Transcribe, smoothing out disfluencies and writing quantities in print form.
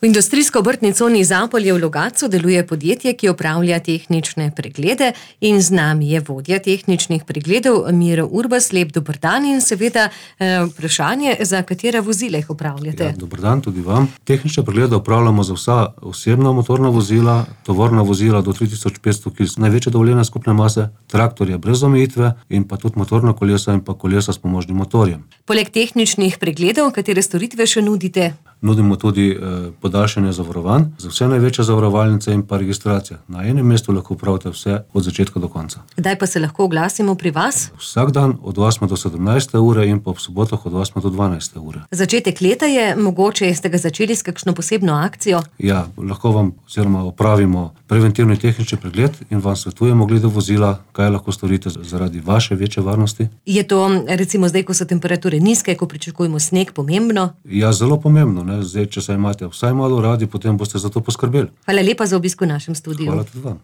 V industrijsko-obrtni coni Zapolje v Logatcu deluje podjetje, ki opravlja tehnične preglede, in z nami je vodja tehničnih pregledov Miro Urbas. Lep dober dan in seveda vprašanje, za katera vozila jih opravljate. Ja, dober dan tudi vam. Tehnične preglede opravljamo za vsa osebna motorna vozila, tovorna vozila do 3500 kg največje dovoljene skupne mase, traktorje brez omejitve in pa tudi motorna kolesa in pa kolesa s pomožnim motorjem. Poleg tehničnih pregledov, katere storitve še nudite? Nudimo tudi podaljšanje zavarovanj za vse največje zavarovalnice in pa registracije. Na enem mestu lahko opravite vse od začetka do konca. Kdaj pa se lahko oglasimo pri vas? Vsak dan od 8 do 17 ure in pa ob sobotah od 8 do 12 ure. Začetek leta je, mogoče ste ga začeli s kakšno posebno akcijo? Ja, lahko vam oziroma opravimo preventivni tehnični pregled in vam svetujemo glede vozila, kaj lahko storite zaradi vaše večje varnosti. Je to recimo zdaj, ko so temperature nizke, ko pričakujemo sneg, pomembno? Ja, zelo pomembno. Zdaj, če se imate vsaj malo radi, potem boste za to poskrbeli. Hvala lepa za obisk v našem studiu. Hvala tudi vam.